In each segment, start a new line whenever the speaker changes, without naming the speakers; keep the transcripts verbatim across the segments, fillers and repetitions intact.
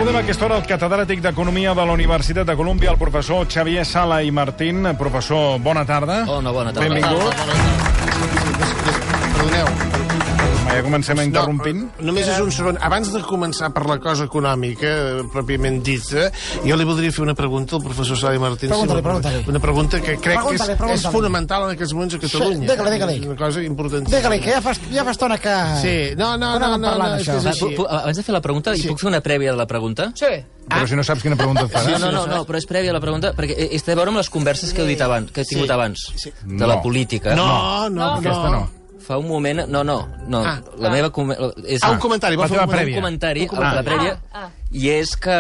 Saludem a aquesta hora el catedràtic d'Economia de la Universitat de Colúmbia, el professor Xavier Sala i Martín. Professor, bona tarda.
Hola, bona tarda.
Benvingut.
Perdoneu.
Ja comencem interrompint.
No, només és un segon. Abans de començar per la cosa econòmica, pròpiament dita, jo li voldria fer una pregunta al professor Sala i Martín.
Pregunta-li, pregunta-li.
Una pregunta que crec que és,
Pregunta-li, pregunta-li.
és fonamental en aquests moments a Catalunya.
Digue-li, digue-li.
Una cosa important.
Digue-li, que ja fa, ja fa estona que...
Sí, no, no,
Que
no,
anàvem
no,
parlant
no, és
d'això.
que és així.
Pu- pu- Abans de fer la pregunta,
Sí.
hi puc fer una prèvia de la pregunta?
Sí.
Però si no saps quina pregunta et faràs.
No, no, no, no, però és prèvia a la pregunta, perquè és té a veure amb les converses que heu dit abans, que he tingut
Sí.
abans,
Sí.
de la
No.
política.
No, no, no.
Aquesta no.
Fa un moment... No, no, no.
Ah.
La meva... com- És,
Ah, un comentari.
La
vol fer
teva
un
prèvia.
un comentari,
Un comentari.
la prèvia, i és que...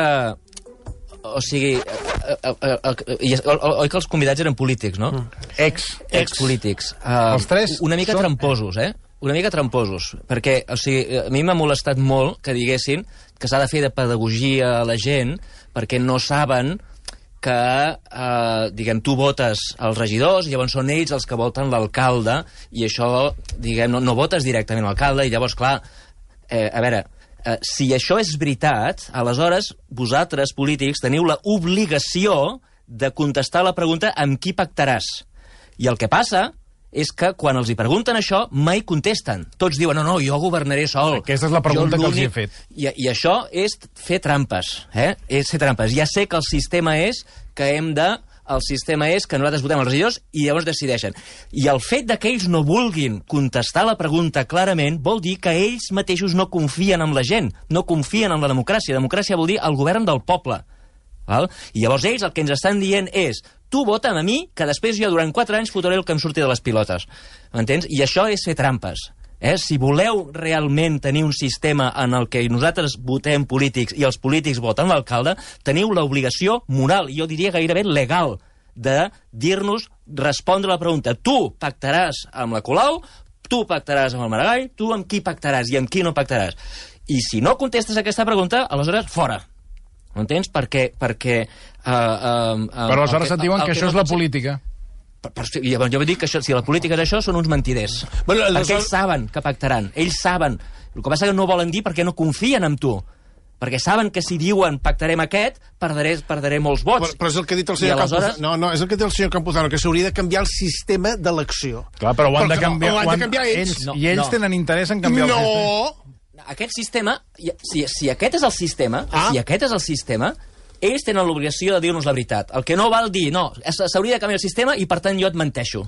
O sigui, eh, eh, eh, eh, i és- o- o- oi que els convidats eren polítics, no?
Ex.
Expolítics. Uh,
Els tres
Una mica
són-
tramposos, eh? Una mica tramposos, perquè, o sigui, a mi m'ha molestat molt que diguessin que s'ha de fer de pedagogia a la gent perquè no saben que, eh, diguem, tu votes els regidors i llavors són ells els que voten l'alcalde i això, diguem, no, no votes directament l'alcalde i llavors, clar, eh, a veure, eh, si això és veritat, aleshores vosaltres, polítics, teniu la obligació de contestar la pregunta amb qui pactaràs. I el que passa és que quan els hi pregunten això, mai contesten. Tots diuen, no, no, jo governaré sol.
Aquesta és la pregunta
Jo
que els hi he
l'únic-
fet.
I, I això és fer trampes, eh? És fer trampes. Ja sé que el sistema és que hem de... El sistema és que nosaltres votem els regidors i llavors decideixen. I el fet de que ells no vulguin contestar la pregunta clarament vol dir que ells mateixos no confien en la gent, no confien en la democràcia. Democràcia vol dir el govern del poble. Val? I llavors ells el que ens estan dient és tu vota'm a mi, que després jo durant quatre anys fotré el que em surti de les pilotes. M'entens? I això és fer trampes. Eh? Si voleu realment tenir un sistema en el que nosaltres votem polítics i els polítics voten l'alcalde, teniu l'obligació moral, i jo diria gairebé legal, de dir-nos, respondre la pregunta. Tu pactaràs amb la Colau, tu pactaràs amb el Maragall, tu amb qui pactaràs i amb qui no pactaràs. I si no contestes aquesta pregunta, aleshores, fora. M'entens? Perquè... perquè uh, uh, uh,
Però aleshores et diuen que això és la política.
Per, per, i llavors jo vull dir que això, si la política és això, són uns mentiders.
Bueno,
Perquè
aleshores-
ells saben que pactaran. Ells saben. El que passa és que no volen dir perquè no confien en tu. Perquè saben que si diuen pactarem aquest, perdré, perdré molts vots.
Però, però és el que ha dit el
I
senyor
aleshores-
Campuzano. No, no, és el que ha dit el senyor Campuzano, que s'hauria de canviar el sistema d'elecció.
Clar, però ho han de
Però-
canviar.
ho han
ho
de canviar ells.
No,
I ells
no.
tenen interès en canviar el sistema.
No!
Aquest sistema, si, si aquest és el sistema,
Ah.
si aquest és el sistema, ells tenen l'obligació de dir-nos la veritat. El que no val dir, no, s'hauria de canviar el sistema i per tant jo et menteixo.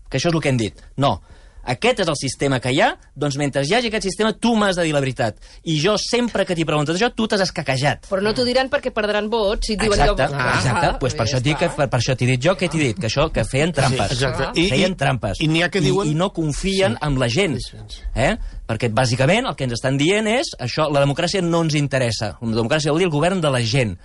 Que això és el que hem dit. No. Aquest és el sistema que hi ha, doncs mentre hi hagi aquest sistema tu m'has de dir la veritat. I jo sempre que t'hi preguntes això, tu t'has escaquejat.
Però no t'ho diran perquè perdran vots si et diuen...
Exacte,
jo...
exacte.
Ah,
Pues per
ja
això et dic que,
està.
per, per això t'he dit jo, què t'he dit? Que això, que feien trampes.
Sí, exacte. I-
feien
i-
trampes.
i n'hi ha que diuen-
I, I no confien
Sí.
en la gent.
Sí, sí.
Eh? Perquè, bàsicament, el que ens estan dient és això, la democràcia no ens interessa. La democràcia vol dir el govern de la gent.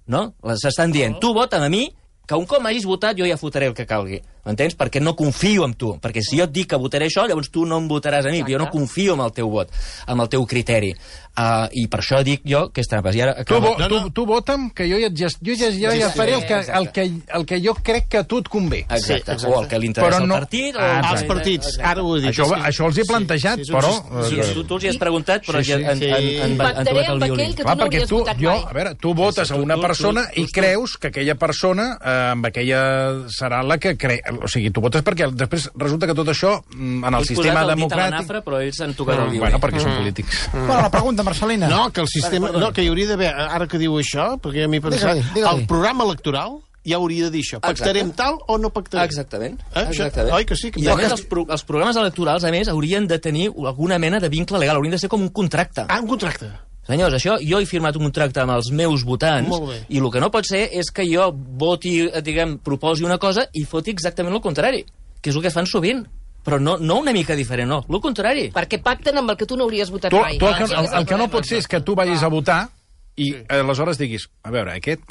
No? S'estan dient, tu vota'm a mi, que un cop m'hagis votat jo ja fotré el que calgui. M'entens? Perquè no confio en tu. Perquè si jo et dic que votaré això, llavors tu no em votaràs a mi. Jo no confio en el teu vot, en el teu criteri. Uh, I per això dic jo que és trampes. I ara,
Tu,
acaba.
vo, tu, tu vota'm, que jo ja, ja, jo ja, ja, ja faré el que, el, que, el que jo crec que a tu et convé.
Exacte.
Sí, exacte.
O el que li interessa
Però
al
no-
partit. O
Ah,
el que-
Els partits, ara ho he dit.
Això,
És que-
això els he plantejat,
Sí, sí, és un
però...
sis-
Sí,
eh,
tu, tu els hi has preguntat, però
Sí,
sí,
sí.
sí. Han,
Sí.
han, han, han,
Pactaré
trobat el
amb
violí.
aquell que
Clar,
tu no
perquè
hauries
tu,
votat
jo,
mai.
a veure, tu votes a una
Tu- tu-
persona
tu-
i
tu-
creus que aquella persona, eh, amb aquella serà la que cre... O sigui, tu votes perquè després resulta que tot això, mm, en el
Ells
sistema
posat el dit a la
democràtic...
nafra, però ells han tocat el violí.
Bueno, perquè són polítics.
Bueno, la pregunta, Marcelina.
No, que el sistema... No, que hi hauria d'haver... Ara que diu això, perquè a mi pensat...
Digue-li, digue-li.
El programa electoral ja hauria de dir això. Pactarem tal o no pactarem?
Exactament.
Eh, això-
Exactament.
oi que sí? Que
I a
que-
més, els, pro els programes electorals, a més, haurien de tenir alguna mena de vincle legal, haurien de ser com un contracte.
Ah, un contracte.
Senyors, això, jo he firmat un contracte amb els meus votants
Molt bé.
i el que no pot ser és que jo voti, eh, diguem, proposi una cosa i foti exactament el contrari, que és el que fan sovint. Però no, no una mica diferent, no. El contrari.
Perquè pacten amb el que tu no hauries votat
Tu,
mai.
tu el, que,
Aquest
el,
és
el que no
problema.
pot ser és que tu vagis a votar i aleshores diguis, a veure, aquest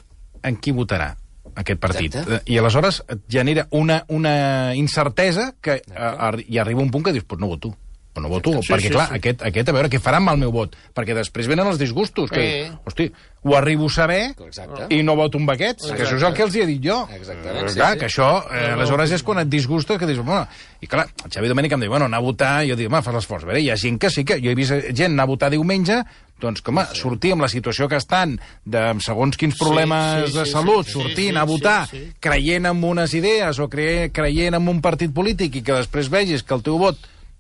en qui votarà? Aquest partit.
Exacte.
I aleshores et genera una, una incertesa que a, a, i arriba un punt que dius, pues no voto. però no voto,
Sí,
perquè,
sí,
clar,
sí.
Aquest, aquest, a veure, què faran amb el meu vot? Perquè després venen els disgustos, que,
Eh.
hosti, ho arribo a saber
Exacte.
i no voto amb aquests, que això és el que els hi he dit jo.
Exactament,
Eh,
sí,
clar,
sí.
que això, eh, aleshores és quan et disgusta, que dius, bueno, i clar, el Xavi Domènech em diu, bueno, anar a votar, jo dic, home, fas l'esforç. A veure, hi ha gent que sí que, jo he vist gent anar a votar diumenge, doncs, que, home, sortir amb la situació que estan, de amb segons quins problemes
sí, sí,
de
sí,
salut,
sí,
sortir,
sí,
anar a
sí,
votar,
sí.
creient en unes idees o cre creient en un partit polític i que després vegis que el teu vot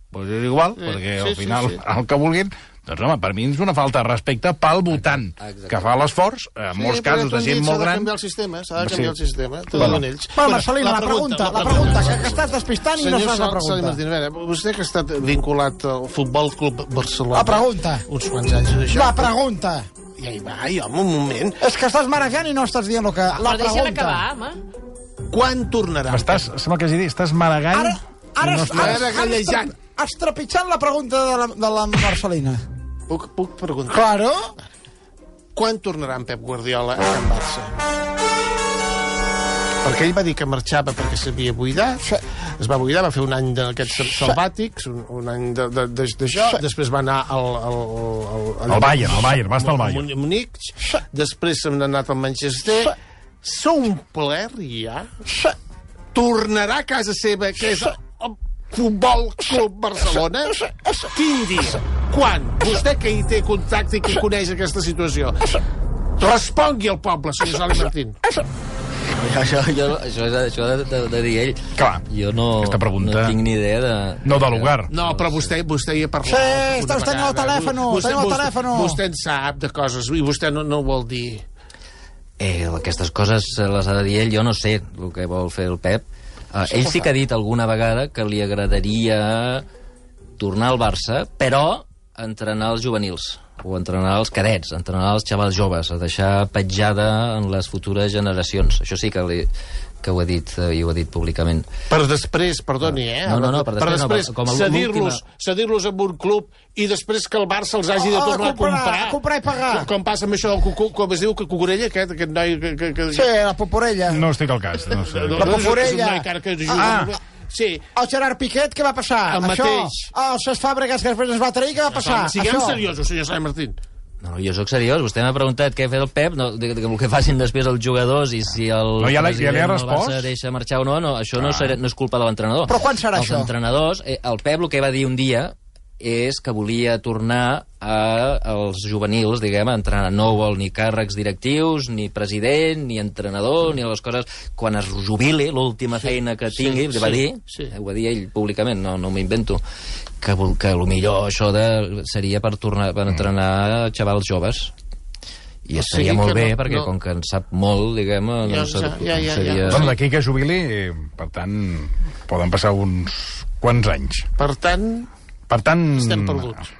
pues és igual,
Sí,
perquè
sí,
al
sí,
final
sí.
el que vulguin, doncs home, per mi és una falta de respecte pel votant,
Exacte.
que fa l'esforç, en molts casos de gent molt
S'ha de
gran.
canviar el sistema, s'ha de
Sí.
canviar el sistema, t'ho
Bueno.
diuen ells.
Bueno, Marcelina, la pregunta, la pregunta, que, que estàs despistant i no
Senyor
saps la
Sal- Sali
pregunta.
Martín, a veure, vostè que ha estat vinculat al Futbol Club Barcelona...
La pregunta.
Uns quants anys d'això.
La pregunta.
Ja hi va, i home, un moment.
És que estàs marejant i no estàs dient el que... La
Però deixa'l
pregunta.
acabar, home.
Quan tornarà?
Estàs, sembla que hagi dit, estàs maragant...
Ara, ara,
i no
ara,
estàs-
ara,
Ara gallejant.
estrepitjant la pregunta de la, de la Marcelina.
Puc, puc preguntar?
Claro.
Quan tornarà en Pep Guardiola a Can Barça? Perquè ell va dir que marxava perquè s'havia buidat, es va buidar, va fer un any d'aquests salvàtics, un, un any d'això, de, de, d'això, després va anar al... al, al, al,
Al Bayern, al Bayern, va estar al Bayern.
a Múnich, després se n'ha anat al Manchester, s'ha omplert ja, tornarà a casa seva, que és el Futbol Club Barcelona? Quin dia? Quan? Vostè que hi té contacte i que coneix aquesta situació. Respongui al poble, senyor Sali Martín.
Això, jo, això, és, això de, de, de dir ell.
Clar,
jo no,
aquesta pregunta-
no tinc ni idea de...
No de lugar.
No, però vostè, vostè hi ha parlat.
Sí,
una
estàs tenint el
vegada.
telèfon,
Vostè-
tenim el
vostè-
telèfon.
Vostè en sap de coses i vostè no, no ho vol dir.
Eh, aquestes coses les ha de dir ell, jo no sé el que vol fer el Pep. Uh, ell sí que ha dit alguna vegada que li agradaria tornar al Barça, però entrenar els juvenils, o entrenar els cadets, entrenar els xavals joves, a deixar petjada en les futures generacions. Això sí que, li, que ho ha dit, eh, i ho ha dit públicament.
Per després, perdoni, eh?
No, no, no, per després no,
després
com a
cedir-los
l'última-
cedir-los amb un club i després que el Barça els hagi de
Ah,
tornar a
comprar,
comprar.
a comprar i pagar.
Com, com passa amb això del cucu, com es diu, que Cucurella, aquest, aquest noi... Que, que, que,
Sí, la Poporella.
No estic al cas, no sé.
no,
La
no, és un- és un
Poporella.
noi que ara que juga
Ah.
molt bé. Sí,
El Gerard Piquet, què va passar?
El
Això.
mateix.
Els Cesc Fàbregas, que després es va trair, què va passar?
siguem
Això.
seriosos, senyor Sali Martín.
No, jo sóc seriós, vostè m'ha preguntat què ha fet el Pep, no, de, de, el que facin després els jugadors i si el
No, ja l'ha- ja li ha
president del
respost?
Barça deixa marxar o no, no això no, serà, no és culpa de l'entrenador.
Però quan serà
els
això?
Els entrenadors, eh, el Pep el que va dir un dia és que volia tornar a, als juvenils, diguem, a entrenar. No vol ni càrrecs directius, ni president, ni entrenador, ni les coses... Quan es jubili, l'última feina que tingui,
sí,
va dir,
sí.
ho va dir ell públicament, no, no m'ho invento, que, vol- que millor això de, seria per tornar per entrenar xavals joves. I
O
estaria
sigui
molt
que
bé,
no-
perquè
no-
com que en sap molt, diguem,
Ja,
doncs,
ja, ja, ja,
seria...
ja.
Bueno, d'aquí que jubili, eh, per tant, poden passar uns quants anys.
Per tant,
Per tant...
estem perduts.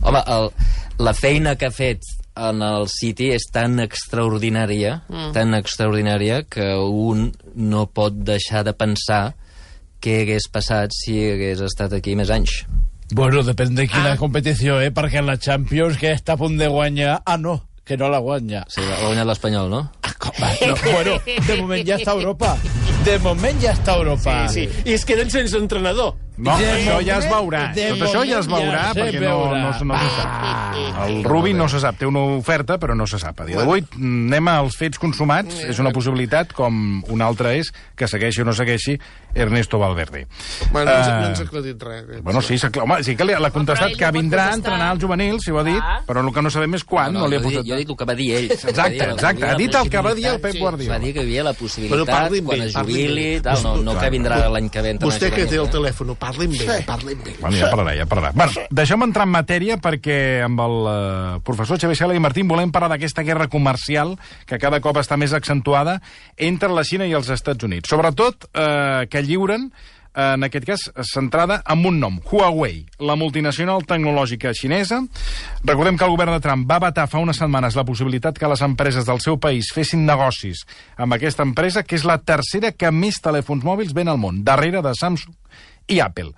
Home, el, la feina que ha fet en el City és tan extraordinària, mm. tan extraordinària, que un no pot deixar de pensar què hagués passat si hagués estat aquí més anys.
Bueno, depèn de quina
Ah.
ah. competició, eh? Perquè en la Champions, que està a punt de guanyar... Ah, no, que no la guanya.
Sí, ha guanyat l'Espanyol, no?
No, bueno, de moment ja està a Europa. De moment ja està a Europa.
Sí, i es queden sense entrenador.
No,
De
això ja es
moment-
veurà.
de
Tot això ja es
moment
veurà,
ja se
perquè no,
veurà.
no, no, no se sap. El Rubi no se sap, té una oferta, però no se sap. A dia d'avui anem als fets consumats, és una possibilitat, com una altra és que segueixi o no segueixi Ernesto Valverde.
Bueno, no, ens,
Eh,
no ens ha aclarit res.
Bueno, sí, s'ha- home, sí que li- l'ha contestat
ell
que
no pot
vindrà a
contestar.
entrenar els juvenils, si ho ha dit,
Ah.
però el que no sabem és quan, no, li ha
jo, dic,
posat...
jo dic el que va dir ell.
Exacte, exacte, ha dit el que va dir el Pep
Sí.
Guardiola.
Va dir que hi havia la
Bueno,
possibilitat,
parli amb
quan
ell,
es
parli amb
jubili,
ell.
tal, no, no que vindrà l'any que ve. a entrenar
Vostè que té el
juvenils, eh?
telèfon, parli amb ell, parli amb ell.
Bueno, ja parlarà, ja parlarà. Bueno, deixem entrar en matèria perquè amb el eh, professor Xavier Sala i Martín volem parlar d'aquesta guerra comercial que cada cop està més accentuada entre la Xina i els Estats Units. Sobretot eh, que lliuren, eh, en aquest cas, centrada en un nom, Huawei, la multinacional tecnològica xinesa. Recordem que el govern de Trump va vetar fa unes setmanes la possibilitat que les empreses del seu país fessin negocis amb aquesta empresa, que és la tercera que més telèfons mòbils ven al món, darrere de Samsung i Apple.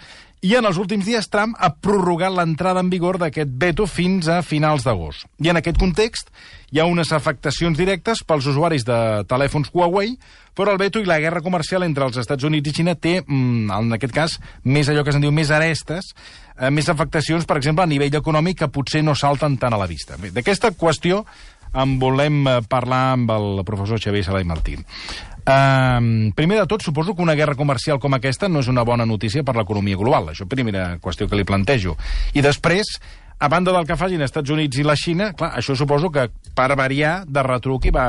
I en els últims dies Trump ha prorrogat l'entrada en vigor d'aquest veto fins a finals d'agost. I en aquest context hi ha unes afectacions directes pels usuaris de telèfons Huawei, però el veto i la guerra comercial entre els Estats Units i Xina té, en aquest cas, més allò que se'n diu més arestes, eh, més afectacions, per exemple, a nivell econòmic, que potser no salten tant a la vista. Bé, d'aquesta qüestió en volem parlar amb el professor Xavier Sala i Martín. Uh, primer de tot, suposo que una guerra comercial com aquesta no és una bona notícia per l'economia global. Això primera qüestió que li plantejo. I després, a banda del que facin els Estats Units i la Xina, clar, això suposo que per variar de retruc hi va,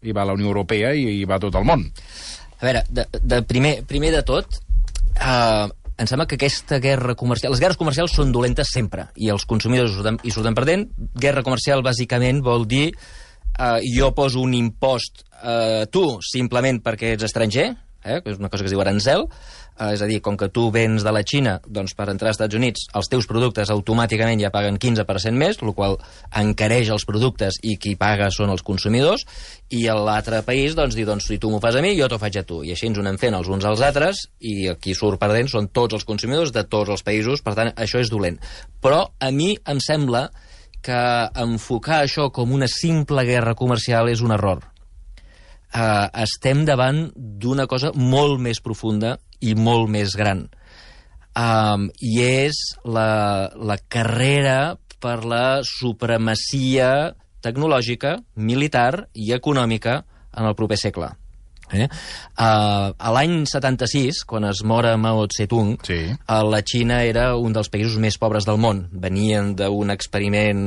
hi va la Unió Europea i hi va tot el món.
A veure, de, de primer, primer de tot, uh, em sembla que aquesta guerra comercial... Les guerres comercials són dolentes sempre, i els consumidors hi surten, hi surten perdent. Guerra comercial, bàsicament, vol dir Uh, jo poso un impost a uh, tu simplement perquè ets estranger, eh, que és una cosa que es diu arancel, uh, és a dir, com que tu vens de la Xina, doncs per entrar als Estats Units els teus productes automàticament ja paguen quinze per cent més, el qual encareix els productes i qui paga són els consumidors, i l'altre país doncs diu, doncs si tu m'ho fas a mi, jo t'ho faig a tu, i així ens ho anem fent els uns als altres, i qui surt perdent són tots els consumidors de tots els països, per tant això és dolent. Però a mi em sembla que enfocar això com una simple guerra comercial és un error. Uh, estem davant d'una cosa molt més profunda i molt més gran. Um, I és la, la carrera per la supremacia tecnològica, militar i econòmica en el proper segle. Eh? Uh, a l'any setanta-sis, quan es mora Mao Tse-tung, sí. uh, la Xina era un dels països més pobres del món. Venien d'un experiment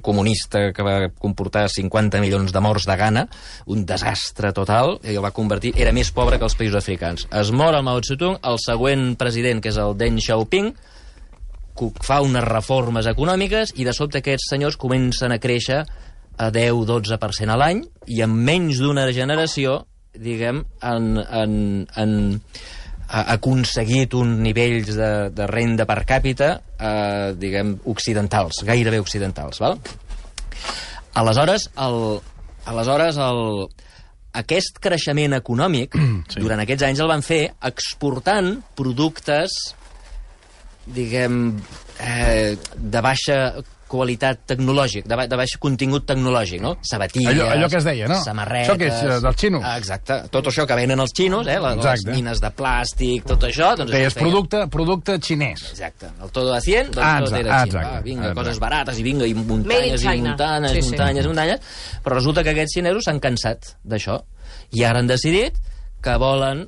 comunista que va comportar cinquanta milions de morts de gana, un desastre total, i el va convertir... Era més pobre que els països africans. Es mor el Mao Tse-tung, el següent president, que és el Deng Xiaoping, fa unes reformes econòmiques i de sobte aquests senyors comencen a créixer a deu a dotze per cent a l'any, i en menys d'una generació diguem, han, han, han aconseguit uns nivells de, de renda per càpita, eh, diguem, occidentals, gairebé occidentals, val? Aleshores, el, aleshores el, aquest creixement econòmic, sí. Durant aquests anys el van fer exportant productes, diguem, eh, de baixa qualitat tecnològic, de, ba de baix contingut tecnològic, no? Sabatilles,
allò, allò que es deia, no?
Samarretes...
Això que és uh, dels xinos.
Ah, exacte. Tot això que venen els xinos, eh? Les, les mines de plàstic, tot això... Doncs
que és producte, producte xinès.
Exacte. El todo a cien, doncs
ah,
tot era xino.
Ah,
vinga,
exacte.
Coses barates, i vinga, i muntanyes, i muntanyes, sí, muntanyes, sí. muntanyes... Però resulta que aquests xinesos s'han cansat d'això. I ara han decidit que volen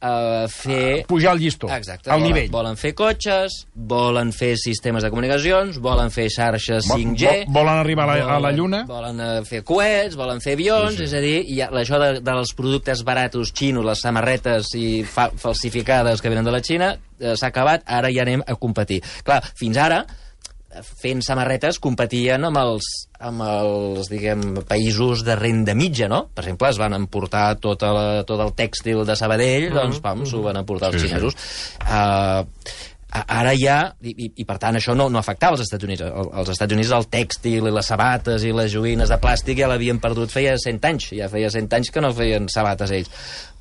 Uh, fer...
pujar el llistó,
exacte,
al
volen,
nivell.
Volen fer cotxes, volen fer sistemes de comunicacions, volen fer xarxes cinc G...
Vol, volen arribar a la, a la Lluna.
Volen uh, fer coets, volen fer avions, sí, sí. És a dir, hi ha, això de, dels productes baratos xinos, les samarretes i fa, falsificades que venen de la Xina, uh, s'ha acabat, ara ja anem a competir. Clar, fins ara, fent samarretes, competien amb els, amb els diguem, països de renda mitja, no? Per exemple, es van emportar tot, la, tot el tèxtil de Sabadell, mm-hmm. doncs, pam, s'ho van emportar els sí, xinesos. Sí. Uh, ara ja, i, i, i per tant això no, no afectava els Estats Units. El, els Estats Units el tèxtil i les sabates i les joguines de plàstic ja l'havien perdut feia cent anys. Ja feia cent anys que no feien sabates ells.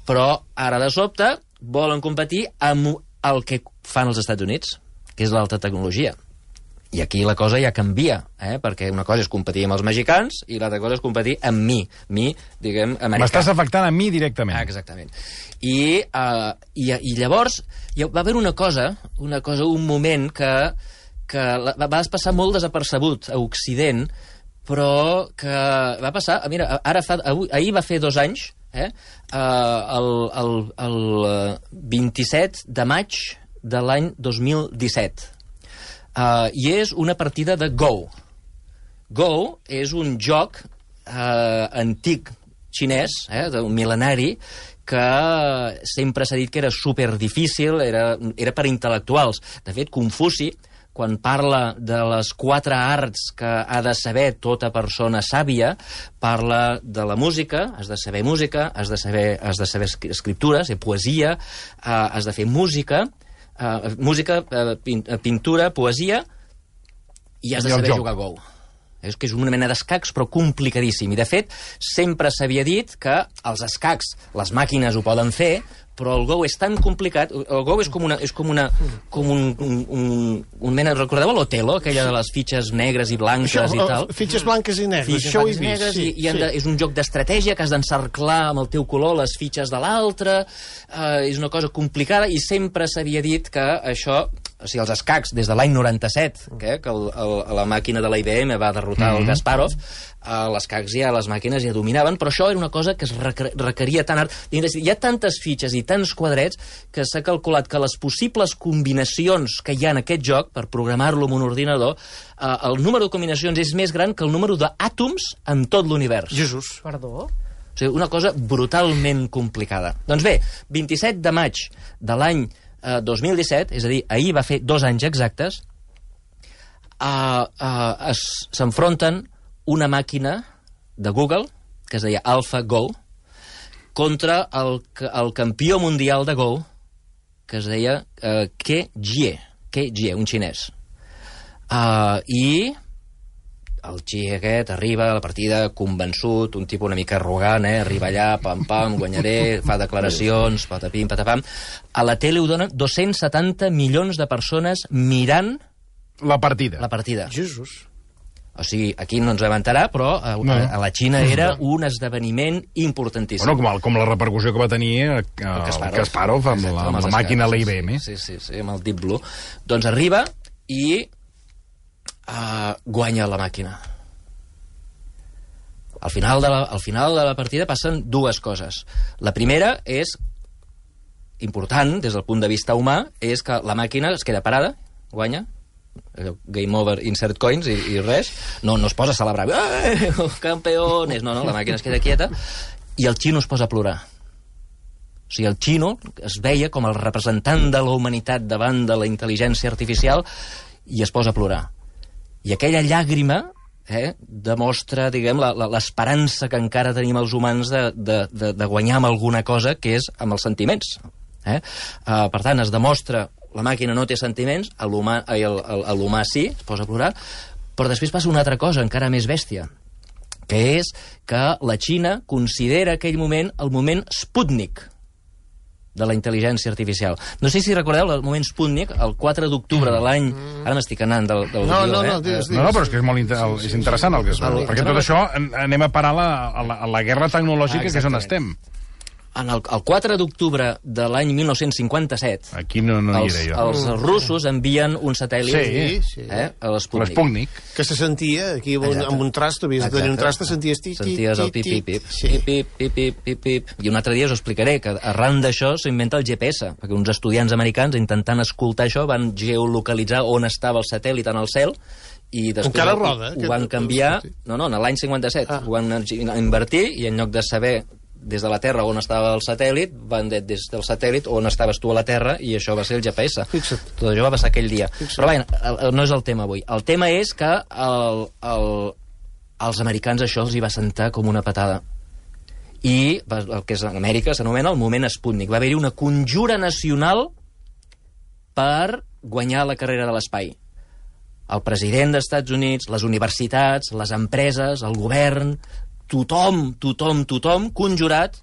Però ara, de sobte, volen competir amb el que fan els Estats Units, que és l'alta tecnologia. I aquí la cosa ja canvia, eh? Perquè una cosa és competir amb els mexicans i l'altra cosa és competir amb mi, mi, diguem, americà.
M'estàs afectant a mi directament.
Ah, exactament. I, uh, i, i llavors hi va haver una cosa, una cosa, un moment que, que va, va passar molt desapercebut a Occident, però que va passar... Mira, ara fa, avui, ahir va fer dos anys, eh? Uh, el, el, el vint-i-set de maig de l'any dos mil disset. Uh, I és una partida de Go. Go és un joc uh, antic xinès, eh, un mil·lenari, que sempre s'ha dit que era superdifícil, era, era per intel·lectuals. De fet, Confuci, quan parla de les quatre arts que ha de saber tota persona sàvia, parla de la música, has de saber música, has de saber, has de saber escriptura, ser poesia, uh, has de fer música, Uh, música, uh, pin, uh, pintura, poesia, i has de saber jugar a Go. És que és una mena d'escacs, però complicadíssim. I, de fet, sempre s'havia dit que els escacs, les màquines ho poden fer, però el Go és tan complicat. El Go és com una... És com una com un, un, un, un mena... Recordeu l'Otelo, aquella de les fitxes negres i blanques
Això,
i tal?
Fitxes blanques i negres,
Fitxes
això ho he
blanques i
vist.
negres,
Sí,
i, i han de,
sí.
és un joc d'estratègia que has d'encerclar amb el teu color les fitxes de l'altre. Uh, és una cosa complicada i sempre s'havia dit que això... O sigui, els escacs, des de l'any noranta-set, que, que el, el, la màquina de la I B M va derrotar mm -hmm. el Kasparov, uh, els escacs ja, les màquines ja dominaven, però això era una cosa que es requeria tant art. Hi ha tantes fitxes i tants quadrets que s'ha calculat que les possibles combinacions que hi ha en aquest joc, per programar-lo en un ordinador, uh, el número de combinacions és més gran que el número d'àtoms en tot l'univers.
Jesús.
Perdó?
O sigui, una cosa brutalment complicada. Doncs bé, vint-i-set de maig de l'any Uh, dos mil disset, és a dir, ahir va fer dos anys exactes, uh, uh, s'enfronten una màquina de Google, que es deia AlphaGo, contra el, el campió mundial de Go, que es deia uh, Ke Jie, Ke Jie, un xinès. Uh, I el Xi aquest arriba a la partida convençut, un tipus una mica arrogant, eh? Arriba allà, pam-pam, guanyaré, fa declaracions, patapim, patapam. A la tele ho donen dos-cents setanta milions de persones mirant
La partida.
la partida.
Jesús.
O sigui, aquí no ens vam enterar, però a,
No.
a, a la Xina era un esdeveniment importantíssim.
Bueno, com, el, com la repercussió que va tenir el, el
Kasparov.
Kasparov amb,
Exacte,
la, amb
els
la màquina
escacs,
de la I B M.
Sí, sí, sí, amb el Deep Blue. Doncs arriba i uh, guanya la màquina. Al final, de la, al final de la partida passen dues coses. La primera és important, des del punt de vista humà, és que la màquina es queda parada, guanya, game over, insert coins i, i res, no, no es posa a celebrar, eh, campeones, no, no, la màquina es queda quieta, i el xino es posa a plorar. O sigui, el xino es veia com el representant de la humanitat davant de la intel·ligència artificial i es posa a plorar. I aquella llàgrima eh, demostra, diguem, l'esperança que encara tenim els humans de, de, de, de guanyar amb alguna cosa, que és amb els sentiments. Eh? Uh, per tant, es demostra la màquina no té sentiments, l'humà sí, es posa a plorar, però després passa una altra cosa encara més bèstia, que és que la Xina considera aquell moment el moment Sputnik de la intel·ligència artificial. No sé si recordeu el moment Sputnik, el quatre d'octubre de l'any... Ara m'estic anant del, del
No,
guió,
no,
eh?
no, digues,
No, no, però és que és molt inter és interessant el que es veu,
El-
perquè tot això en- anem a parar la, a, la, a la guerra tecnològica,
Ah,
que és on
exactament.
estem.
En el, el quatre d'octubre de l'any mil nou-cents cinquanta-set,
Aquí no, no hi
els,
era jo.
els russos envien un satèl·lit
Sí,
sí.
eh, a l'Sputnik.
L'Sputnik.
Que se sentia aquí amb un,
Exacte.
amb un trast, havies de tenir un trast, senties tit, tit,
Senties el
tit,
pip-pip-pip,
tit. Sí.
pip-pip, pip-pip, pip-pip. I un altre dia us ho explicaré, que arran d'això s'inventa el G P S, perquè uns estudiants americans, intentant escoltar això, van geolocalitzar on estava el satèl·lit en el cel, i després
Encara
ho,
roda,
ho
aquest-
van canviar... No, no, en l'any cinquanta-set.
Ah.
Ho van invertir, i en lloc de saber des de la Terra on estava el satèl·lit, van dir des del satèl·lit on estaves tu a la Terra, i això va ser el G P S.
Fixa't.
Tot això va passar aquell dia.
Fixa't.
Però bé, el- el- no és el tema avui. El tema és que el, el, als americans això els hi va sentar com una patada. I va- el que és en Amèrica s'anomena el moment Sputnik. Va haver-hi una conjura nacional per guanyar la carrera de l'espai. El president dels Estats Units, les universitats, les empreses, el govern, tothom, tothom, tothom conjurat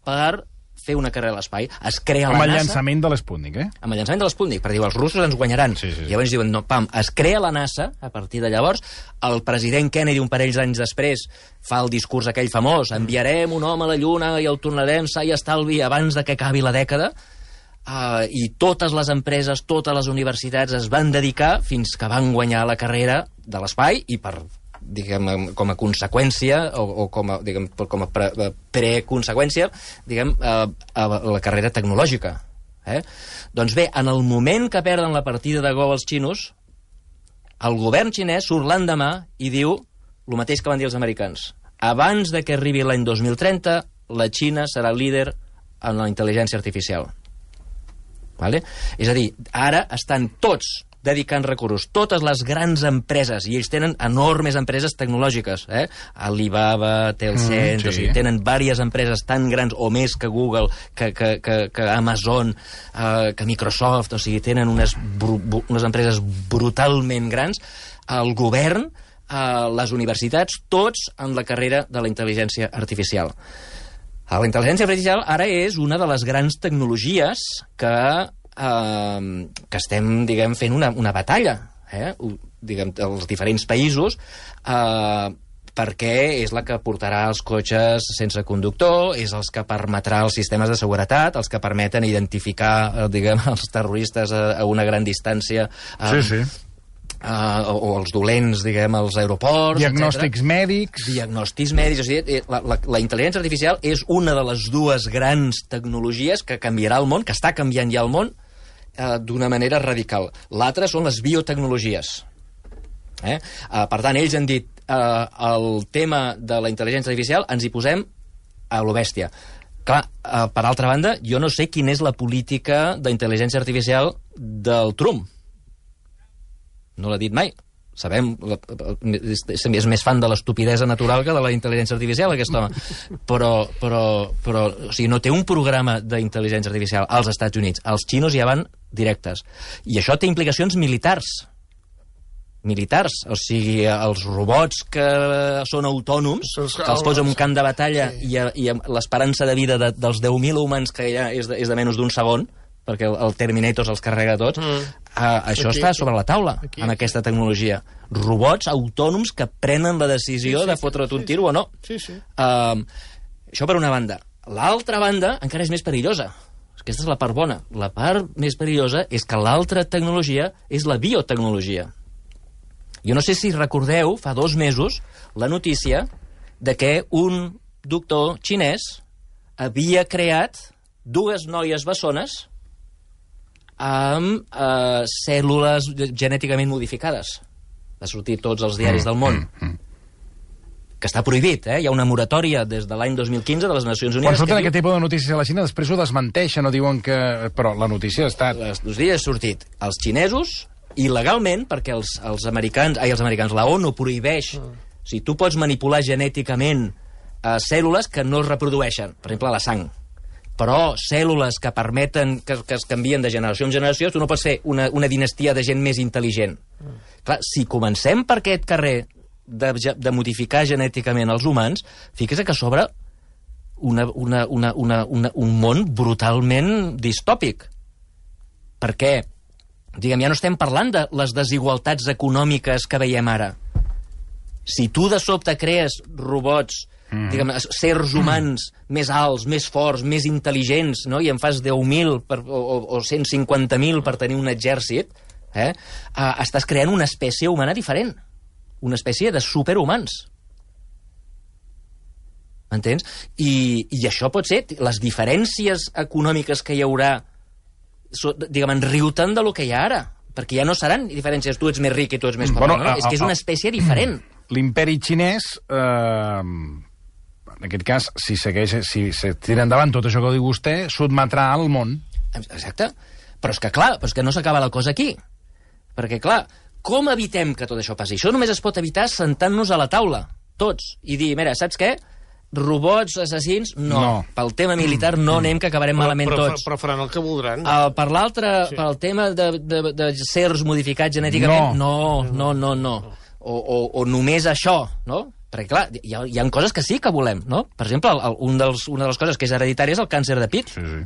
per fer una carrera a l'espai. Es crea
Amb
la
el
NASA...
llançament de l'Sputnik, eh?
amb el llançament de l'Sputnik, per dir, els russos ens guanyaran.
Sí, sí, sí.
Llavors diuen, no, pam, es crea la NASA, a partir de llavors, el president Kennedy, un parell d'anys després, fa el discurs aquell famós, enviarem un home a la Lluna i el tornarem sa i estalvi abans de que acabi la dècada, uh, i totes les empreses, totes les universitats es van dedicar fins que van guanyar la carrera de l'espai, i per diguem, com a conseqüència o, o com a, diguem, com a pre, preconseqüència, diguem, a, a la carrera tecnològica. Eh? Doncs bé, en el moment que perden la partida de Go els xinos, el govern xinès surt l'endemà i diu el mateix que van dir els americans. Abans de que arribi l'any dos mil trenta, la Xina serà líder en la intel·ligència artificial. Vale? És a dir, ara estan tots dedicant recursos, totes les grans empreses, i ells tenen enormes empreses tecnològiques, eh? Alibaba, Tencent,
Mm, sí.
o sigui, tenen diverses empreses tan grans o més que Google, que, que, que, que Amazon, eh, que Microsoft, o sigui, tenen unes, bru, unes empreses brutalment grans. El govern a les universitats, tots en la carrera de la intel·ligència artificial. La intel·ligència artificial ara és una de les grans tecnologies que, eh, que estem, diguem, fent una, una batalla, eh? diguem, als diferents països, eh, perquè és la que portarà els cotxes sense conductor, és els que permetrà els sistemes de seguretat, els que permeten identificar, diguem, els terroristes a, a una gran distància.
Sí, sí.
Uh, o, o els dolents, diguem, als aeroports,
diagnòstics
etcètera.
mèdics.
Diagnòstics mèdics. O sigui, la, la, la intel·ligència artificial és una de les dues grans tecnologies que canviarà el món, que està canviant ja el món, uh, d'una manera radical. L'altra són les biotecnologies. Eh? Uh, per tant, ells han dit uh, el tema de la intel·ligència artificial ens hi posem a lo bèstia. Clar, uh, per altra banda, jo no sé quina és la política d'intel·ligència artificial del Trump. No l'ha dit mai. Sabem, és més fan de l'estupidesa natural que de la intel·ligència artificial, aquest home. Però, però, però o sigui, no té un programa d'intel·ligència artificial als Estats Units. Els xinos ja van directes. I això té implicacions militars. Militars. O sigui, els robots que són autònoms, que els pots en un camp de batalla i, i l'esperança de vida de, dels deu mil humans que hi ha és de, és de menys d'un segon, perquè el, el Terminator se'ls carrega tots, mm. uh, això aquí, està sobre la taula, aquí, amb aquesta tecnologia. Robots autònoms que prenen la decisió sí, sí, de fotre't un sí, tiro sí. o no.
Sí, sí.
Uh, això per una banda. L'altra banda encara és més perillosa. Aquesta és la part bona. La part més perillosa és que l'altra tecnologia és la biotecnologia. Jo no sé si recordeu, fa dos mesos, la notícia de que un doctor xinès havia creat dues noies bessones amb eh, cèl·lules genèticament modificades. Va sortir tots els diaris del món. Que està prohibit, eh? Hi ha una moratòria des de l'any dos mil quinze de les Nacions Unides...
Quan surten
aquest
diu... tipus de notícies a la Xina, després ho desmenteixen o diuen que... Però la notícia ha estat...
Els dos dies ha sortit. Els xinesos, il·legalment, perquè els, els americans... Ai, els americans, la ONU prohibeix... Mm. O sigui, tu pots manipular genèticament eh, cèl·lules que no es reprodueixen. Per exemple, la sang. Però cèl·lules que permeten que, que es canvien de generació en generació, tu no pots fer una, una dinastia de gent més intel·ligent. Mm. Clar, si comencem per aquest carrer de, de modificar genèticament els humans, fixa't que s'obre una, una, una, una, una, un món brutalment distòpic. Perquè, diguem, ja no estem parlant de les desigualtats econòmiques que veiem ara. Si tu de sobte crees robots... Mm. Diguem, sers humans mm. més alts, més forts, més intel·ligents, no? I en fas deu mil per, o, o cent cinquanta mil per tenir un exèrcit, eh? uh, estàs creant una espècie humana diferent. Una espècie de superhumans. M'entens? I, I això pot ser... Les diferències econòmiques que hi haurà, so, diguem, enriuten de lo que hi ha ara. Perquè ja no seran diferències, tu ets més ric i tu ets més pobre, bueno, no? A, és que és una espècie diferent.
L'imperi xinès... Eh... En aquest cas, si segueix, si se tira endavant tot això que diu vostè, sotmetrà al món.
Exacte. Però és que, clar, però és que no s'acaba la cosa aquí. Perquè, clar, com evitem que tot això passi? Això només es pot evitar sentant-nos a la taula, tots, i dir, mira, saps què? Robots, assassins, no. no. Pel tema militar no anem, que acabarem però, malament
però,
tots.
Però faran el que voldran.
Uh, per l'altre, sí. pel tema de, de, de sers modificats genèticament, no, no, no, no. no. O, o, o només això, no? Perquè, clar, hi ha, hi ha coses que sí que volem, no? Per exemple, el, el, un dels, una de les coses que és hereditària és el càncer de pit.
Sí, sí.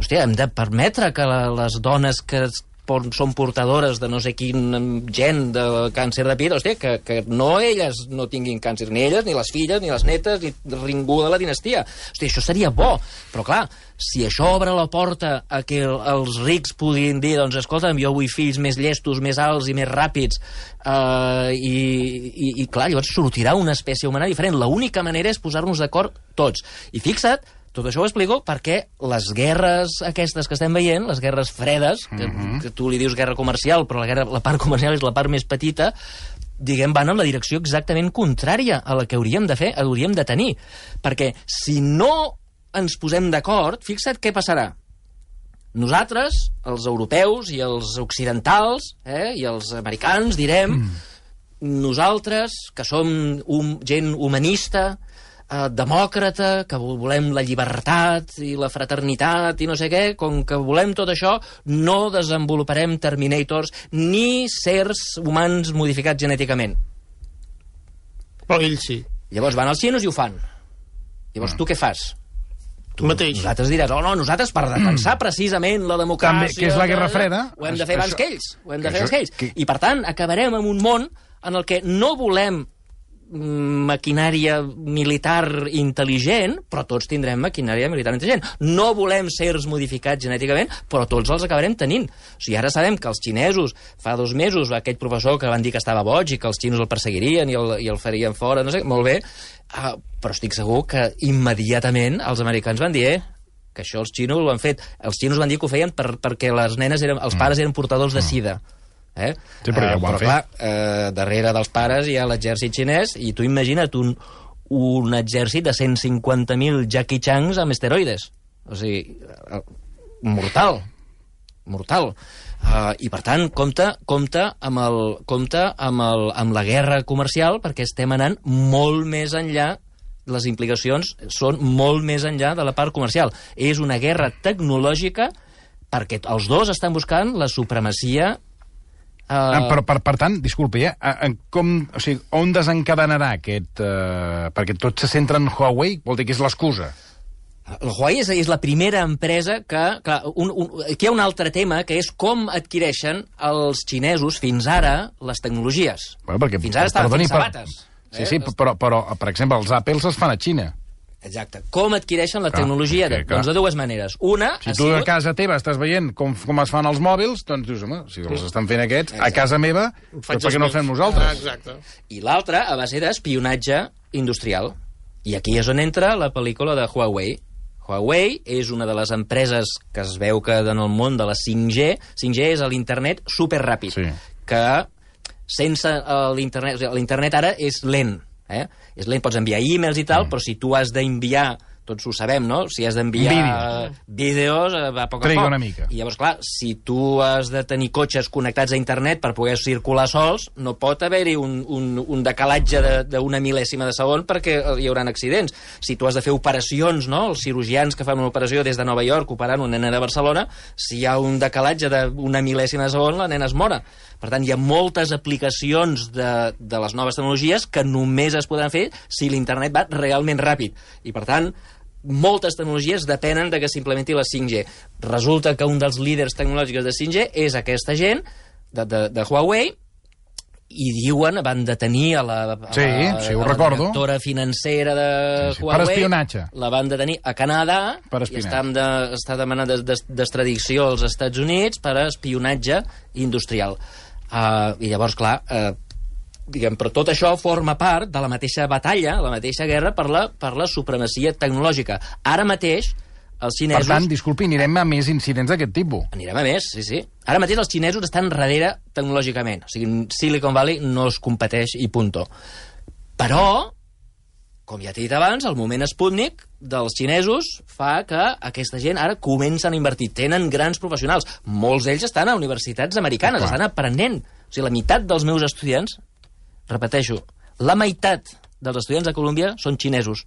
Hòstia, hem de permetre que la, les dones que són portadores de no sé quin gen de càncer de pit, hòstia, que, que no elles no tinguin càncer, ni elles, ni les filles, ni les netes, ni ningú de la dinastia. Hòstia, això seria bo. Però, clar, si això obre la porta a que el, els rics puguin dir, doncs, escolta'm, jo vull fills més llestos, més alts i més ràpids, uh, i, i, i, clar, llavors sortirà una espècie humana diferent. L'única manera és posar-nos d'acord tots. I fixa't, tot això ho explico perquè les guerres aquestes que estem veient, les guerres fredes, que, mm-hmm. que tu li dius guerra comercial, però la, guerra, la part comercial és la part més petita, diguem, van en la direcció exactament contrària a la que hauríem de fer, hauríem de tenir. Perquè si no ens posem d'acord, fixa't què passarà. Nosaltres, els europeus i els occidentals, eh, i els americans, direm, mm. nosaltres, que som un, gent humanista, eh, demòcrata, que volem la llibertat i la fraternitat i no sé què, com que volem tot això, no desenvoluparem Terminators ni sers humans modificats genèticament.
Però ells sí.
Llavors van als xinos i ho fan. Llavors tu què fas?
Tu mateix.
Nosaltres diràs, oh no, nosaltres per defensar precisament la democràcia...
També, que és la Guerra Freda.
Ho hem de fer abans
Això-
que ells. Ho hem de
que
fer abans
això-
que ells.
que-
I per tant, acabarem en un món en el que no volem mm, maquinària militar intel·ligent, però tots tindrem maquinària militar intel·ligent. No volem sers modificats genèticament, però tots els acabarem tenint. O sigui, ara sabem que els xinesos, fa dos mesos, aquell professor que van dir que estava boig i que els xinos el perseguirien i el, i el farien fora, no sé, molt bé, uh, però estic segur que immediatament els americans van dir, eh, que això els xinos ho han fet. Els xinos van dir que ho feien per, perquè les nenes eren, els pares eren portadors de sida. Eh?
Sí, però ja ho
uh,
han
però,
fet.
clar, eh, darrere dels pares hi ha l'exèrcit xinès i tu imagina't un, un exèrcit de cent cinquanta mil Jackie Changs amb esteroides. O sigui, eh, mortal. Mortal. Uh, I, per tant, compte, compte, amb, el, compte amb, el, amb la guerra comercial perquè estem anant molt més enllà, les implicacions són molt més enllà de la part comercial. És una guerra tecnològica perquè els dos estan buscant la supremacia.
Uh... Per, per, per tant, disculpi, eh? En com, o sigui, on desencadenarà aquest... Uh, perquè tot se centra en Huawei, vol dir que és l'excusa.
El Huawei és, és la primera empresa que... Clar, un, un, aquí hi ha un altre tema, que és com adquireixen els xinesos fins ara les tecnologies.
Bueno, perquè,
fins ara estaven
perdoni,
fent sabates.
Per... Sí, sí, però, però, per exemple, els Apples es fan a Xina.
Exacte. Com adquireixen la
Clar,
tecnologia?
que,
De, doncs de dues maneres. Una
Si
ha
tu a
sigut...
casa teva estàs veient com, com es fan els mòbils, doncs dius, home, si els estan fent aquests, a casa meva, doncs per què no els fem
Ah,
nosaltres?
exacte.
I l'altra a base d'espionatge industrial. I aquí és on entra la pel·lícula de Huawei. Huawei és una de les empreses que es veu que en el món de la cinc G, cinc G és l'internet superràpid,
Sí.
que sense l'internet, o sigui, l'internet ara és lent, eh? És lent, pots enviar e-mails i tal, mm. però si tu has d'enviar, tots ho sabem, no? Si has d'enviar
Vídeos.
vídeos, eh, va a poc a
Triga
poc.
una mica.
I llavors, clar, si tu has de tenir cotxes connectats a internet per poder circular sols, no pot haver-hi un, un, un decalatge d'una mil·lèsima de segon perquè hi haurà accidents. Si tu has de fer operacions, no? Els cirurgians que fan una operació des de Nova York operant una nena de Barcelona, si hi ha un decalatge d'una mil·lèsima de segon, la nena es mora. Per tant, hi ha moltes aplicacions de, de les noves tecnologies que només es podran fer si l'internet va realment ràpid. I, per tant, moltes tecnologies depenen de que s'implementi la cinc G. Resulta que un dels líders tecnològics de cinc G és aquesta gent de, de, de Huawei i diuen, van detenir a la, a
Sí,
la,
sí, ho
a la
recordo.
directora financera de
Sí, sí, per
Huawei.
espionatge.
La van detenir a Canadà
Per
i
espionatge.
està, de, està demanant des- des- d'extradició als Estats Units per a espionatge industrial. Uh, I llavors, clar, uh, diguem, però tot això forma part de la mateixa batalla, la mateixa guerra per la, per la supremacia tecnològica. Ara mateix, els
Per
xinesos...
tant, disculpi, anirem a més incidents d'aquest tipus.
Anirem a més, sí, sí. Ara mateix els xinesos estan darrere tecnològicament. O sigui, Silicon Valley no es competeix i punto. Però, com ja t'he dit abans, el moment Sputnik dels xinesos fa que aquesta gent ara comencen a invertir. Tenen grans professionals. Molts d'ells estan a universitats americanes,
Clar.
estan aprenent. O sigui, la meitat dels meus estudiants, repeteixo, la meitat dels estudiants de Colòmbia són xinesos.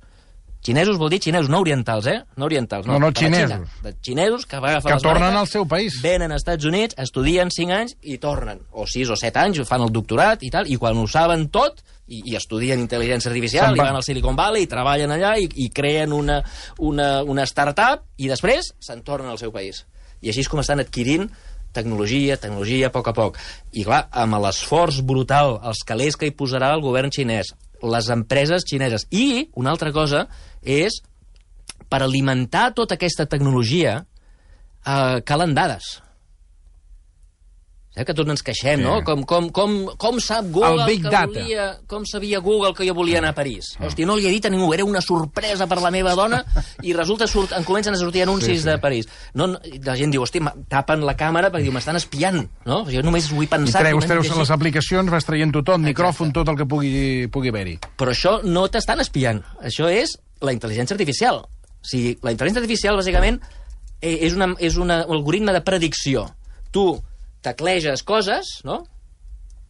Xinesos vol dir xinesos, no orientals, eh? No orientals, no.
No, no,
de la Xina.
xinesos.
De xinesos que va agafar
Que
les
tornen
maletes,
al seu país.
venen als Estats Units, estudien cinc anys i tornen. O sis o set anys, fan el doctorat i tal, i quan ho saben tot, i, i estudien intel·ligència artificial,
Se'n
i
van.
van al Silicon Valley, i treballen allà, i, i creen una, una, una start-up, i després se'n tornen al seu país. I així és com estan adquirint tecnologia, tecnologia, a poc a poc. I clar, amb l'esforç brutal, els calés que hi posarà el govern xinès, les empreses xineses. I una altra cosa és, per alimentar tota aquesta tecnologia, eh, calen dades. Saps que tots ens queixem,
Sí.
no? Com, com, com, com sap Google
El Big
que
Data.
volia... Com sabia Google que jo volia anar a París? Hòstia, no li he dit a ningú, era una sorpresa per la meva dona i resulta surt, en comencen a sortir anuncis
Sí, sí.
de París. No, no, la gent diu, hòstia, ma- tapen la càmera perquè diu, m'estan espiant, no? Jo només vull
I
pensar...
treus,
només
treus
llegir.
les aplicacions, vas traient tot, micròfon, tot el que pugui, pugui haver-hi.
Però això no t'estan espiant. Això és la intel·ligència artificial. O sigui, la intel·ligència artificial, bàsicament, eh, és, una, és una, un algoritme de predicció. Tu tecleges coses, no?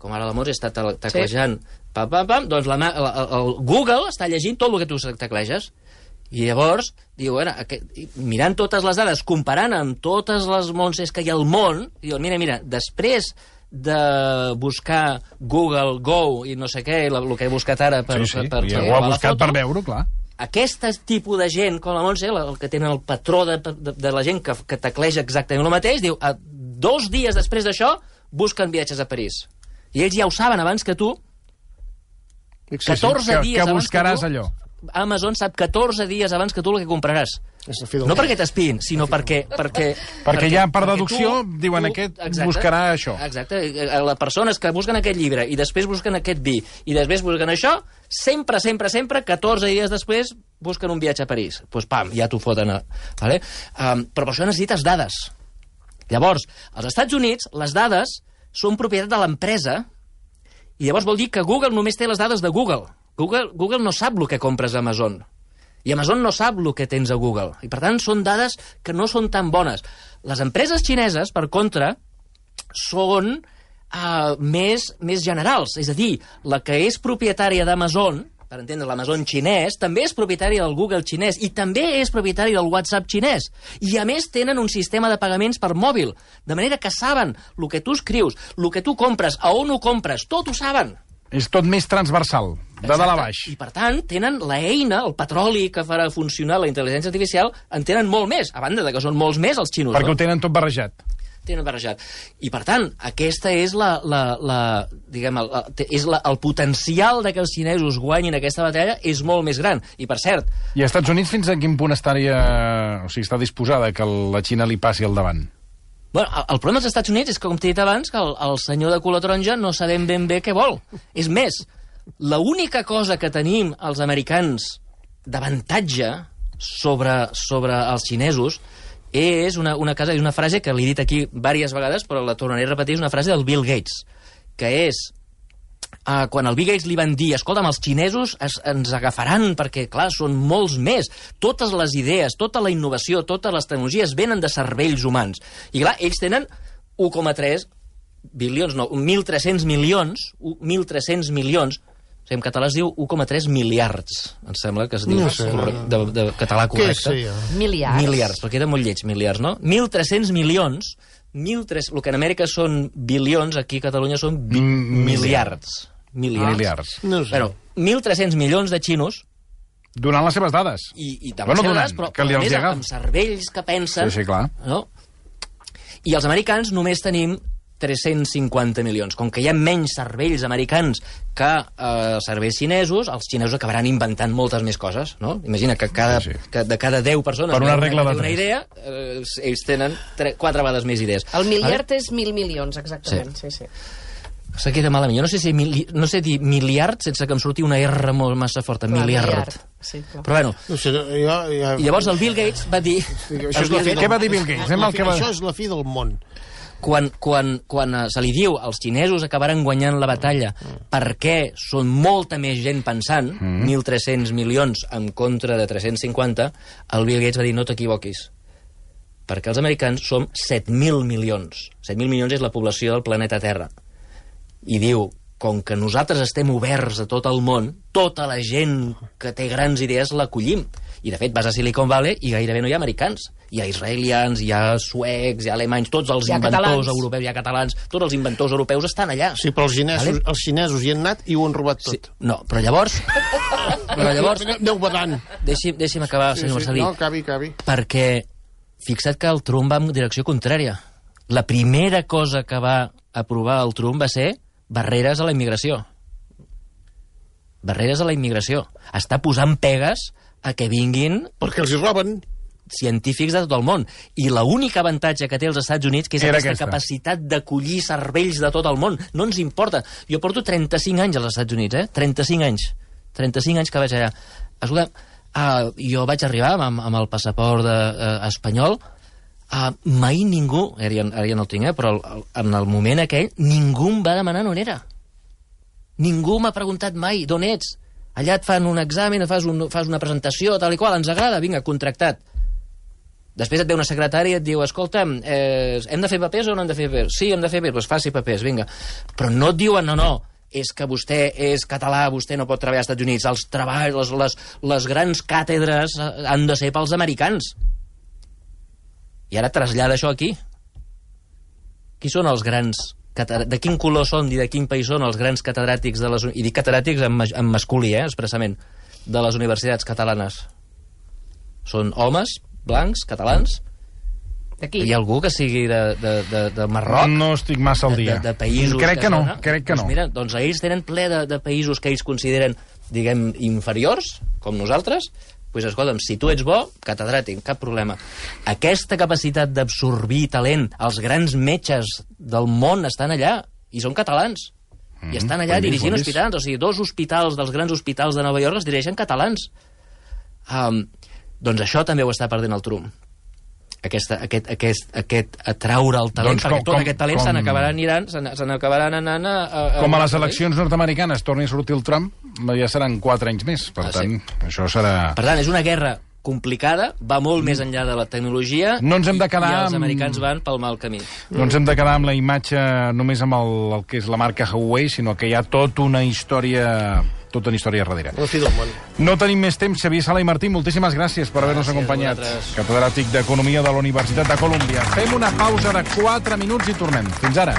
Com ara la Mors està te- teclejant, sí. pam, pam, pam, doncs la, ma- el, el Google està llegint tot el que tu tecleges. I llavors, diu, bueno, aquest, mirant totes les dades, comparant amb totes les Montses que hi ha al món, diu, mira, mira, després de buscar Google Go i no sé què, el que he buscat ara per,
Sí, sí,
per, per,
ja
per
ho ha
la
buscat
foto,
per veure-ho, clar.
aquest tipus de gent, com la Montse, el que tenen el patró de, de, de la gent que, que tecleja exactament el mateix, diu, a, dos dies després d'això, busquen viatges a París. I ells ja ho saben abans que tu, catorze
que,
dies
que
abans
buscaràs
que tu,
allò.
Amazon sap catorze dies abans que tu el que compraràs. No perquè t'espiïn, sinó perquè... Perquè,
perquè ja per
perquè
deducció
tu,
diuen
tu,
aquest
exacte,
buscarà això.
Exacte. Les persones que busquen aquest llibre i després busquen aquest vi i després busquen això, sempre, sempre, sempre, catorze dies després busquen un viatge a París. Doncs pues, pam, ja t'ho foten. A... Vale? Um, però per això necessites dades. Llavors, als Estats Units, les dades són propietat de l'empresa i llavors vol dir que Google només té les dades de Google. Google, Google no sap el que compres a Amazon. I Amazon no sap el que tens a Google. I, per tant, són dades que no són tan bones. Les empreses xineses, per contra, són uh, més, més generals. És a dir, la que és propietària d'Amazon, per entendre l'Amazon xinès, també és propietària del Google xinès i també és propietària del WhatsApp xinès. I, a més, tenen un sistema de pagaments per mòbil. De manera que saben el que tu escrius, el que tu compres, a on ho compres, tot ho saben.
És tot més transversal, de
Exacte.
dalt a baix.
I, per tant, tenen la eina, el petroli que farà funcionar la intel·ligència artificial, en tenen molt més, a banda de que són molts més els xinos.
Perquè
no?
ho tenen tot barrejat.
Tenen barrejat. I, per tant, aquesta és la... la, la diguem, el, és la, el potencial de que els xinesos guanyin aquesta batalla és molt més gran. I, per cert...
I als Estats Units fins a quin punt estaria... O sigui, està disposada que la Xina li passi al davant?
Bueno, el, el problema dels Estats Units és que, com t'he dit abans, que el, el senyor de color taronja no sabem ben bé què vol. És més, l'única cosa que tenim els americans d'avantatge sobre, sobre els xinesos és una, una, casa, una frase que l'he dit aquí diverses vegades, però la tornaré a repetir, és una frase del Bill Gates, que és... Uh, quan el Bill Gates li van dir escolta'm, els xinesos es, ens agafaran perquè, clar, són molts més. Totes les idees, tota la innovació, totes les tecnologies venen de cervells humans. I, clar, ells tenen u coma tres bilions, no, mil tres-cents milions, mil tres-cents milions, en català es diu u coma tres miliards. Em sembla que es diu
No sé, no, no.
de, de català correcte.
Què sé jo?
Miliards.
Miliards, perquè era molt lleig, miliards, no? mil tres-cents milions, mil tres cents, el que en Amèrica són bilions, aquí a Catalunya són bi
Mm,
miliards. Miliards.
Miliards.
No sé.
Bueno, mil tres-cents milions de xinos
Donant les seves dades.
i, i de
Bueno,
les
donant,
seves, però,
que li
però a
els
més
agafa.
amb cervells que pensen...
Sí, sí, clar.
No? I els americans només tenim tres-cents cinquanta milions. Com que hi ha menys cervells americans que eh, cervells xinesos, els xinesos acabaran inventant moltes més coses, no? Imagina que, cada,
Sí, sí.
que de cada deu persones
Per una
que
regla de
una
tres.
idea, eh, ells tenen tre, quatre vegades més idees.
El miliard és mil milions, exactament. Sí, sí.
Se queda malament. Jo no sé si mili, no sé dir miliard sense que em surti una R molt massa forta.
Clar,
miliard.
miliard. Sí, clar.
Però bueno,
No sé, jo, ja...
i llavors el Bill Gates va dir...
Això és
el
la
Bill
fi
Què
Gates-
va dir Bill Gates? Anem al que va...
Això és la fi del món.
quan, quan, quan eh, se li diu als xinesos acabaran guanyant la batalla perquè són molta més gent pensant, mm. mil tres-cents milions en contra de tres-cents cinquanta, el Bill Gates va dir no t'equivoquis, perquè els americans som set mil milions. set mil milions és la població del planeta Terra. I diu, com que nosaltres estem oberts a tot el món, tota la gent que té grans idees l'acollim. I, de fet, vas a Silicon Valley i gairebé no hi ha americans. Hi ha israelians, hi ha suecs, hi ha alemanys, tots els
Hi ha
inventors
catalans.
europeus, hi ha catalans, tots els inventors europeus estan allà.
Sí, però els xinesos,
Vale.
els xinesos hi han anat i ho han robat
Sí,
tot.
no, però llavors... però llavors...
Aneu badant.
Deixi'm, deixi'm acabar,
Sí,
senyor
sí,
Marcelí.
no, acabi, acabi.
Perquè fixa't que el Trump va en direcció contrària. La primera cosa que va aprovar el Trump va ser barreres a la immigració. Barreres a la immigració. Està posant pegues a que vinguin
Perquè els hi roben.
científics de tot el món. I l'únic avantatge que té els Estats Units que és
Era
aquesta,
aquesta.
capacitat d'acollir cervells de tot el món. No ens importa. Jo porto trenta-cinc anys als Estats Units, eh? trenta-cinc anys. trenta-cinc anys que vaig allà. Escolta, uh, jo vaig arribar amb, amb el passaport de, uh, espanyol. Uh, mai ningú, ara ja, ara ja no el tinc, eh? però el, el, en el moment aquell, ningú em va demanar on era. Ningú m'ha preguntat mai d'on ets. Allà et fan un examen, fas, un, fas una presentació, tal i qual, ens agrada, vinga, contractat. Després et ve una secretària i et diu, escolta, eh, hem de fer papers o no hem de fer papers? Sí, hem de fer papers, doncs faci papers, vinga. Però no et diuen, no, no, és que vostè és català, vostè no pot treballar als Estats Units, els treballs, les, les, les grans càtedres han de ser pels americans. I ara trasllada això aquí. Qui són els grans de quin color són i de quin país són els grans catedràtics de les... I dic catedràtics en, en masculí, eh, expressament, de les universitats catalanes. Són homes, blancs, catalans.
D'aquí.
Hi ha algú que sigui de, de, de, de Marroc?
No estic massa al dia.
De, de, de països...
Crec que no,
no?
crec que
doncs
no.
Mira, doncs ells tenen ple de, de països que ells consideren, diguem, inferiors, com nosaltres. Doncs, escolta'm, si tu ets bo, catedràtic, cap problema. Aquesta capacitat d'absorbir talent, els grans metges del món estan allà, i són catalans. Mm, I estan allà dirigint hospitals. O sigui, dos hospitals dels grans hospitals de Nova York els dirigeixen catalans. Um, doncs això també ho està perdent el Trump. Aquesta, aquest, aquest, aquest atraure el talent,
Doncs
perquè
com-
tot
com-
aquest talent
com-
se n'acabaran aniran, se n- se n'acabaran anant a... a, a
Com a les
a-
eleccions nord-americanes torni a sortir el Trump, ja seran quatre anys més. Per
Ah,
tant,
sí.
això serà...
Per tant, és una guerra complicada, va molt més enllà de la tecnologia,
No ens hem de quedar
i, i els
amb-
americans van pel mal camí.
No ens hem de quedar amb la imatge només amb el, el que és la marca Huawei, sinó que hi ha tota una història tota una història darrere.
La fi del món.
No tenim més temps. Xavier Sala i Martí, moltíssimes gràcies per haver-nos
Gràcies a
acompanyat.
vosaltres.
Catedràtic d'Economia de la Universitat de Colúmbia. Fem una pausa de quatre minuts i tornem. Fins ara.